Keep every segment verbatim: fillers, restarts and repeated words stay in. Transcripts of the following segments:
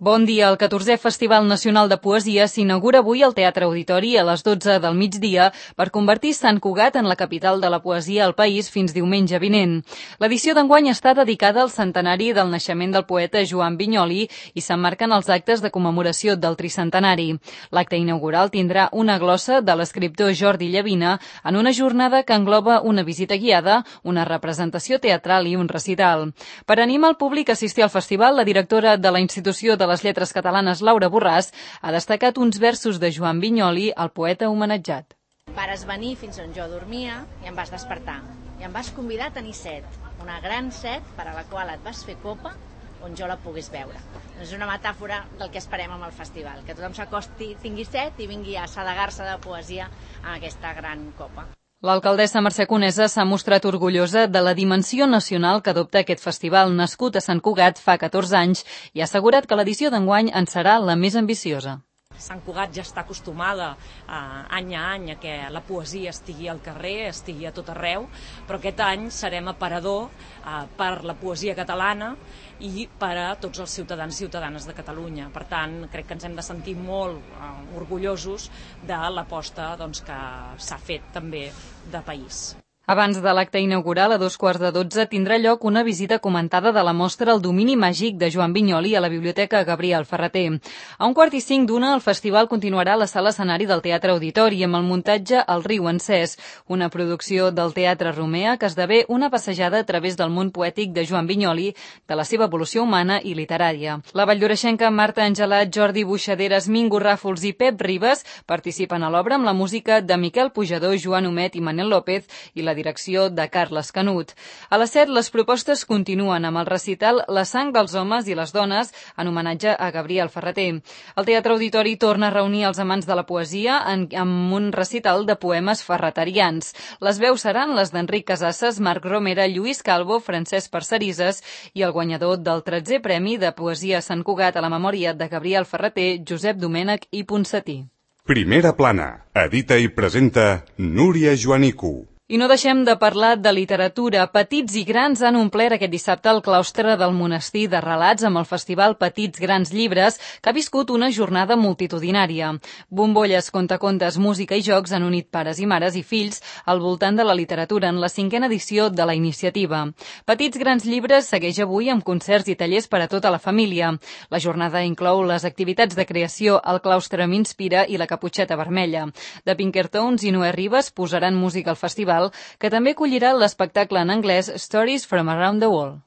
Bon dia. El catorzè Festival Nacional de Poesia s'inaugura avui al Teatre Auditori a les dotze del migdia per convertir Sant Cugat en la capital de la poesia al país fins diumenge vinent. L'edició d'enguany està dedicada al centenari del naixement del poeta Joan Vinyoli i s'emmarquen els actes de commemoració del tricentenari. L'acte inaugural tindrà una glossa de l'escriptor Jordi Llavina en una jornada que engloba una visita guiada, una representació teatral i un recital. Per animar el públic a assistir al festival, la directora de la institució de les lletres catalanes, Laura Borràs, ha destacat uns versos de Joan Vinyoli, el poeta homenatjat. Vares venir fins on jo dormia i em vas despertar. I em vas convidar a tenir set, una gran set per a la qual et vas fer copa on jo la pogués veure. És una metàfora del que esperem amb el festival, que tothom s'acosti, tingui set i vingui a assedegar-se de poesia amb aquesta gran copa. L'alcaldessa Mercè Conesa s'ha mostrat orgullosa de la dimensió nacional que adopta aquest festival nascut a Sant Cugat fa catorze anys i ha assegurat que l'edició d'enguany en serà la més ambiciosa. Sant Cugat ja està acostumada eh, any a any a que la poesia estigui al carrer, estigui a tot arreu, però aquest any serem aparador eh, per la poesia catalana i per a tots els ciutadans i ciutadanes de Catalunya. Per tant, crec que ens hem de sentir molt eh, orgullosos de l'aposta doncs, que s'ha fet també de país. Abans de l'acte inaugural, a dos quarts de dotze, tindrà lloc una visita comentada de la mostra El domini màgic de Joan Vinyoli a la Biblioteca Gabriel Ferrater. A un quart i cinc d'una, el festival continuarà a la sala escenari del Teatre Auditori amb el muntatge El riu encès, una producció del Teatre Romea que esdevé una passejada a través del món poètic de Joan Vinyoli, de la seva evolució humana i literària. La valldoreixenca Marta Angelat, Jordi Buixaderes, Mingo Ràfols i Pep Ribes participen a l'obra amb la música de Miquel Pujador, Joan Homet i Manel López i la direcció de Carles Canut. A les set, les propostes continuen amb el recital La sang dels homes i les dones en homenatge a Gabriel Ferrater. El Teatre Auditori torna a reunir els amants de la poesia en, amb un recital de poemes ferraterians. Les veus seran les d'Enric Casasses, Marc Romera, Lluís Calvo, Francesc Parcerisses i el guanyador del tretzè Premi de Poesia Sant Cugat a la memòria de Gabriel Ferrater, Josep Domènech i Ponsatí. Primera plana. Edita i presenta Núria Joanico. I no deixem de parlar de literatura. Petits i grans han omplert aquest dissabte el claustre del monestir de relats amb el festival Petits Grans Llibres, que ha viscut una jornada multitudinària. Bombolles, contacontes, música i jocs han unit pares i mares i fills al voltant de la literatura en la cinquena edició de la iniciativa. Petits Grans Llibres segueix avui amb concerts i tallers per a tota la família. La jornada inclou les activitats de creació El claustre m'inspira i La caputxeta vermella. The Pinkertons i Noé Ribas posaran música al festival, que també acollirà l'espectacle en anglès Stories from Around the World.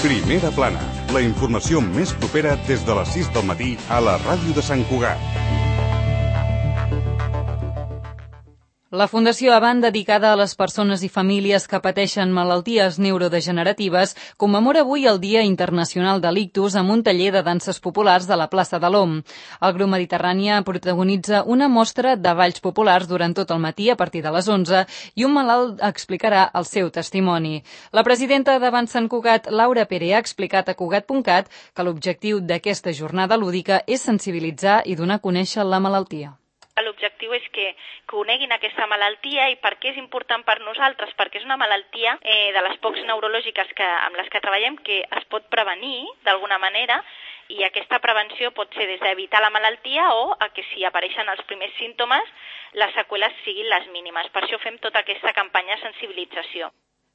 Primera plana, la informació més propera des de les sis del matí a la ràdio de Sant Cugat. La Fundació Avant, dedicada a les persones i famílies que pateixen malalties neurodegeneratives, commemora avui el Dia Internacional de l'Ictus amb un taller de danses populars de la plaça de l'Om. El grup Mediterrània protagonitza una mostra de balls populars durant tot el matí a partir de les onze i un malalt explicarà el seu testimoni. La presidenta d'Avant Sant Cugat, Laura Pere, ha explicat a Cugat punt cat que l'objectiu d'aquesta jornada lúdica és sensibilitzar i donar a conèixer la malaltia. L'objectiu és que coneguin aquesta malaltia i per què és important per nosaltres, perquè és una malaltia eh, de les pocs neurològiques que, amb les que treballem que es pot prevenir d'alguna manera, i aquesta prevenció pot ser des d'evitar la malaltia o a que si apareixen els primers símptomes les seqüeles siguin les mínimes. Per això fem tota aquesta campanya de sensibilització.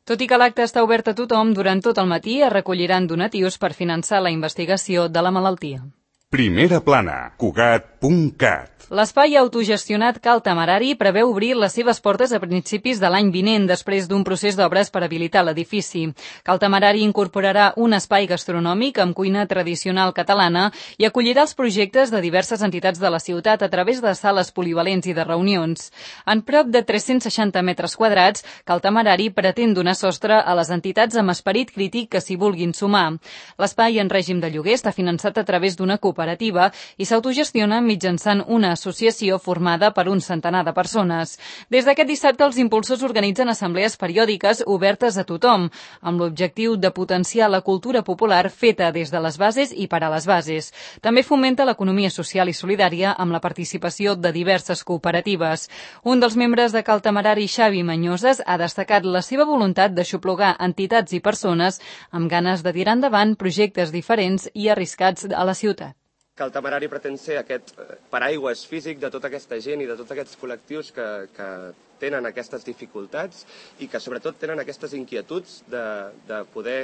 Tot i que l'acte està obert a tothom, durant tot el matí es recolliran donatius per finançar la investigació de la malaltia. Primera plana. Cugat punt cat. L'espai autogestionat Cal Temerari preveu obrir les seves portes a principis de l'any vinent, després d'un procés d'obres per habilitar l'edifici. Cal Temerari incorporarà un espai gastronòmic amb cuina tradicional catalana i acollirà els projectes de diverses entitats de la ciutat a través de sales polivalents i de reunions. En prop de tres-cents seixanta metres quadrats, Cal Temerari pretén donar sostre a les entitats amb esperit crític que s'hi vulguin sumar. L'espai en règim de lloguer està finançat a través d'una cooperativa cooperativa i s'autogestiona mitjançant una associació formada per un centenar de persones. Des d'aquest dissabte, els impulsors organitzen assemblees periòdiques obertes a tothom, amb l'objectiu de potenciar la cultura popular feta des de les bases i per a les bases. També fomenta l'economia social i solidària amb la participació de diverses cooperatives. Un dels membres de Cal Temerari, Xavi Mañoses, ha destacat la seva voluntat d'aixoplugar entitats i persones amb ganes de tirar endavant projectes diferents i arriscats a la ciutat. Cal Temerari pretén ser aquest paraigües físic de tota aquesta gent i de tots aquests col·lectius que, que tenen aquestes dificultats i que sobretot tenen aquestes inquietuds de, de poder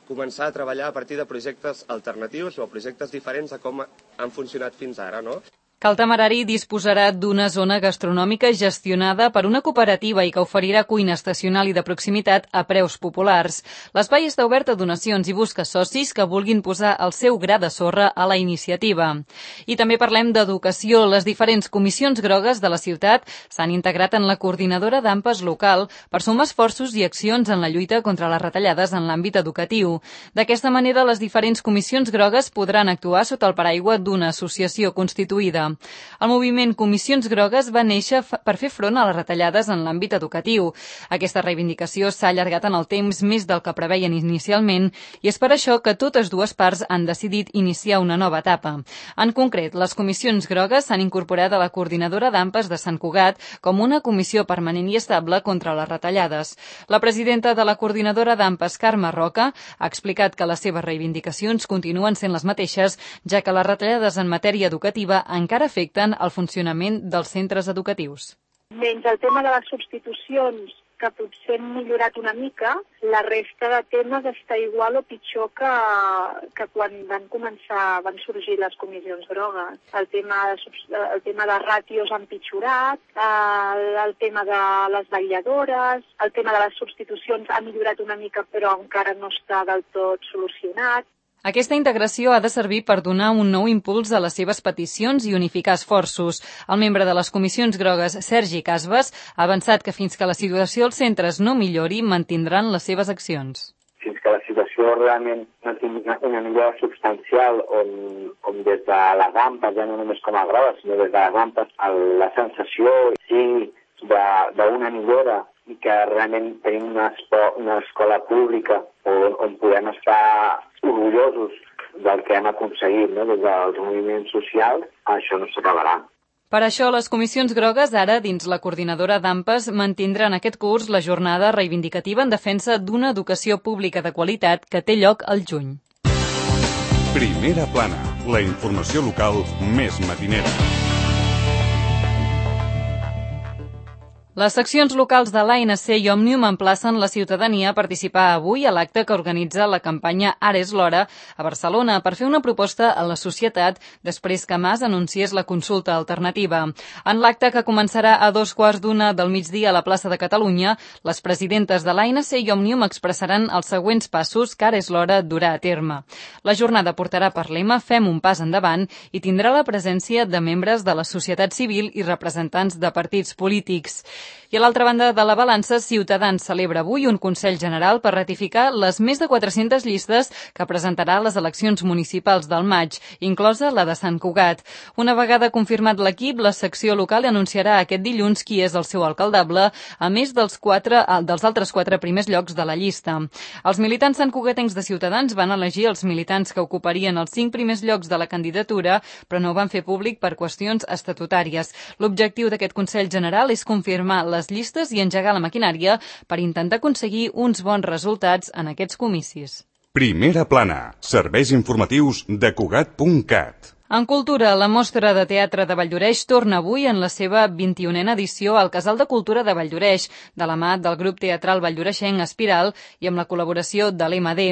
començar a treballar a partir de projectes alternatius o projectes diferents a com han funcionat fins ara, no? Cal Temerari disposarà d'una zona gastronòmica gestionada per una cooperativa i que oferirà cuina estacional i de proximitat a preus populars. L'espai està obert a donacions i busca socis que vulguin posar el seu gra de sorra a la iniciativa. I també parlem d'educació. Les diferents comissions grogues de la ciutat s'han integrat en la coordinadora d'A M P A S local per sumar esforços i accions en la lluita contra les retallades en l'àmbit educatiu. D'aquesta manera, les diferents comissions grogues podran actuar sota el paraigua d'una associació constituïda. El moviment Comissions Grogues va néixer per fer front a les retallades en l'àmbit educatiu. Aquesta reivindicació s'ha allargat en el temps més del que preveien inicialment i és per això que totes dues parts han decidit iniciar una nova etapa. En concret, les Comissions Grogues s'han incorporat a la coordinadora d'A M P A S de Sant Cugat com una comissió permanent i estable contra les retallades. La presidenta de la coordinadora d'A M P A S, Carme Roca, ha explicat que les seves reivindicacions continuen sent les mateixes, ja que les retallades en matèria educativa encara afecten el funcionament dels centres educatius. Menys el tema de les substitucions, que potser han millorat una mica, la resta de temes està igual o pitjor que, que quan van començar, van sorgir les comissions grogues. El tema, el tema de ràtios ha empitjorat, el, el tema de les vetlladores, el tema de les substitucions ha millorat una mica però encara no està del tot solucionat. Aquesta integració ha de servir per donar un nou impuls a les seves peticions i unificar esforços. El membre de les comissions grogues, Sergi Casbas, ha avançat que fins que la situació als centres no millori, mantindran les seves accions. Fins que la situació realment no tingui una millora substancial on, on des de les A M P A S, ja no només com a grogues, sinó des de les A M P A S, la sensació sigui d'una millora i que realment tenim una, una escola pública on, on podem estar orgullosos del que hem aconseguit, no? Des dels moviments socials, això no s'acabarà. Per això, les comissions grogues, ara, dins la coordinadora d'A M P A S, mantindran aquest curs la jornada reivindicativa en defensa d'una educació pública de qualitat que té lloc al juny. Primera plana, la informació local més matinera. Les seccions locals de l'A N C i Òmnium emplacen la ciutadania a participar avui a l'acte que organitza la campanya Ara és l'hora a Barcelona per fer una proposta a la societat després que Mas anunciés la consulta alternativa. En l'acte, que començarà a dos quarts d'una del migdia a la plaça de Catalunya, les presidentes de l'A N C i Òmnium expressaran els següents passos que ara és l'hora durà a terme. La jornada portarà per lema Fem un pas endavant i tindrà la presència de membres de la societat civil i representants de partits polítics. I a l'altra banda de la balança, Ciutadans celebra avui un Consell General per ratificar les més de quatre-centes llistes que presentarà a les eleccions municipals del maig, inclosa la de Sant Cugat. Una vegada confirmat l'equip, la secció local anunciarà aquest dilluns qui és el seu alcaldable, a més dels, quatre, dels altres quatre primers llocs de la llista. Els militants santcugatencs de Ciutadans van elegir els militants que ocuparien els cinc primers llocs de la candidatura, però no ho van fer públic per qüestions estatutàries. L'objectiu d'aquest Consell General és confirmar les llistes i engegar la maquinària per intentar aconseguir uns bons resultats en aquests comicis. Primera plana. Serveis informatius de Cugat punt cat. En cultura, la Mostra de Teatre de Valldoreix torna avui en la seva vint-i-unena edició al Casal de Cultura de Valldoreix, de la mà del grup teatral valldoreixenc Espiral i amb la col·laboració de l'E M D.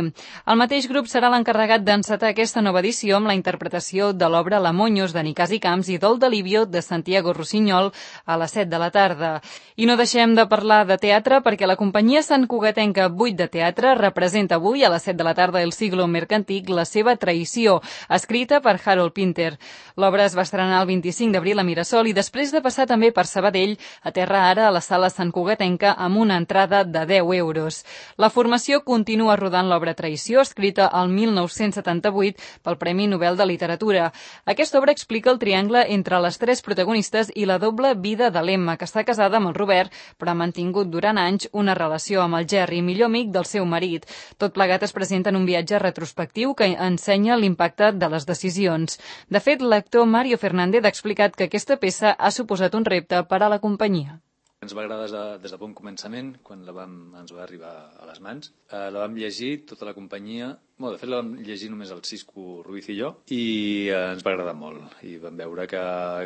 El mateix grup serà l'encarregat d'encetar aquesta nova edició amb la interpretació de l'obra La Moños de Nicasi Camps i Dol de Livio de Santiago Rossinyol a les set de la tarda. I no deixem de parlar de teatre perquè la companyia santcugatenca vuit de Teatre representa avui a les set de la tarda El siglo mercantic, la seva traïció, escrita per Harold Pinto Pinter. L'obra es va estrenar el vint-i-cinc d'abril a Mirasol i després de passar també per Sabadell, aterra ara a la sala Sant Cugatenca amb una entrada de deu euros. La formació continua rodant l'obra Traïció, escrita el mil nou-cents setanta-vuit pel Premi Nobel de Literatura. Aquesta obra explica el triangle entre les tres protagonistes i la doble vida de l'Emma, que està casada amb el Robert, però ha mantingut durant anys una relació amb el Jerry, millor amic del seu marit. Tot plegat es presenta en un viatge retrospectiu que ensenya l'impacte de les decisions. De fet, l'actor Mario Fernández ha explicat que aquesta peça ha suposat un repte per a la companyia. Ens va agradar des de, des de bon començament, quan la vam, ens va arribar a les mans. Eh, la vam llegir, tota la companyia. Bueno, de fet, la vam llegir només el Cisco Ruiz i jo, i eh, ens va agradar molt. I vam veure que,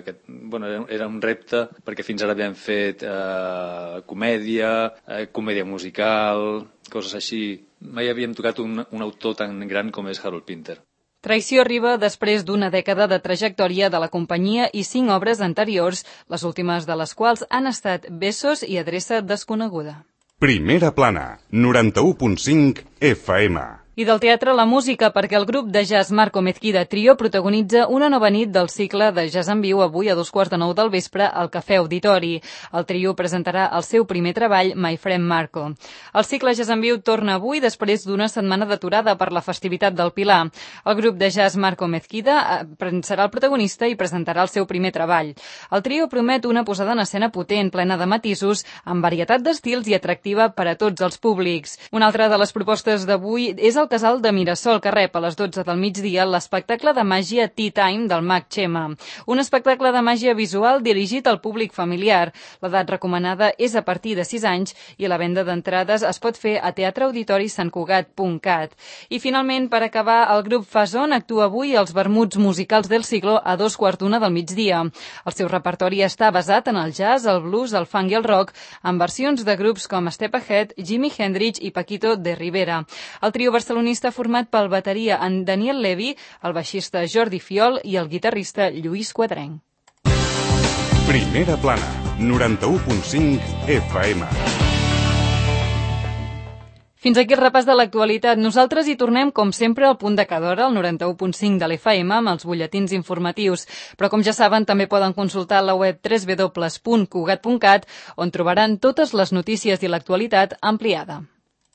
que bueno, era, era un repte, perquè fins ara havíem fet eh, comèdia, eh, comèdia musical, coses així. Mai havíem tocat un, un autor tan gran com és Harold Pinter. Traïció arriba després d'una dècada de trajectòria de la companyia i cinc obres anteriors, les últimes de les quals han estat Besos i Adreça desconeguda. Primera plana, noranta-u punt cinc F M. I del teatre la música, perquè el grup de jazz Marco Mezquida Trio protagonitza una nova nit del cicle de jazz en viu avui a dos quarts de nou del vespre al Cafè Auditori. El trio presentarà el seu primer treball, My Friend Marco. El cicle jazz en viu torna avui després d'una setmana d'aturada per la festivitat del Pilar. El grup de jazz Marco Mezquida serà el protagonista i presentarà el seu primer treball. El trio promet una posada en escena potent, plena de matisos, amb varietat d'estils i atractiva per a tots els públics. Una altra de les propostes d'avui és el el Casal de Mirasol, que rep a les dotze del migdia l'espectacle de màgia Tea Time del mag Xema. Un espectacle de màgia visual dirigit al públic familiar. L'edat recomanada és a partir de sis anys i la venda d'entrades es pot fer a teatre auditori sant cugat punt cat. I finalment, per acabar, el grup Fason actua avui als vermuts musicals del siglo a dos quarts d'una del migdia. El seu repertori està basat en el jazz, el blues, el funk i el rock, amb versions de grups com Step Ahead, Jimi Hendrix i Paquito de Rivera. El trio barcelonista format pel bateria en Daniel Levy, el baixista Jordi Fiol i el guitarrista Lluís Quadrenc. Primera plana, noranta-u punt cinc F M. Fins aquí el repàs de l'actualitat. Nosaltres hi tornem, com sempre, al punt de cada hora, al noranta-u punt cinc de l'F M, amb els butlletins informatius. Però, com ja saben, també poden consultar la web w w w punt cugat punt cat, on trobaran totes les notícies i l'actualitat ampliada.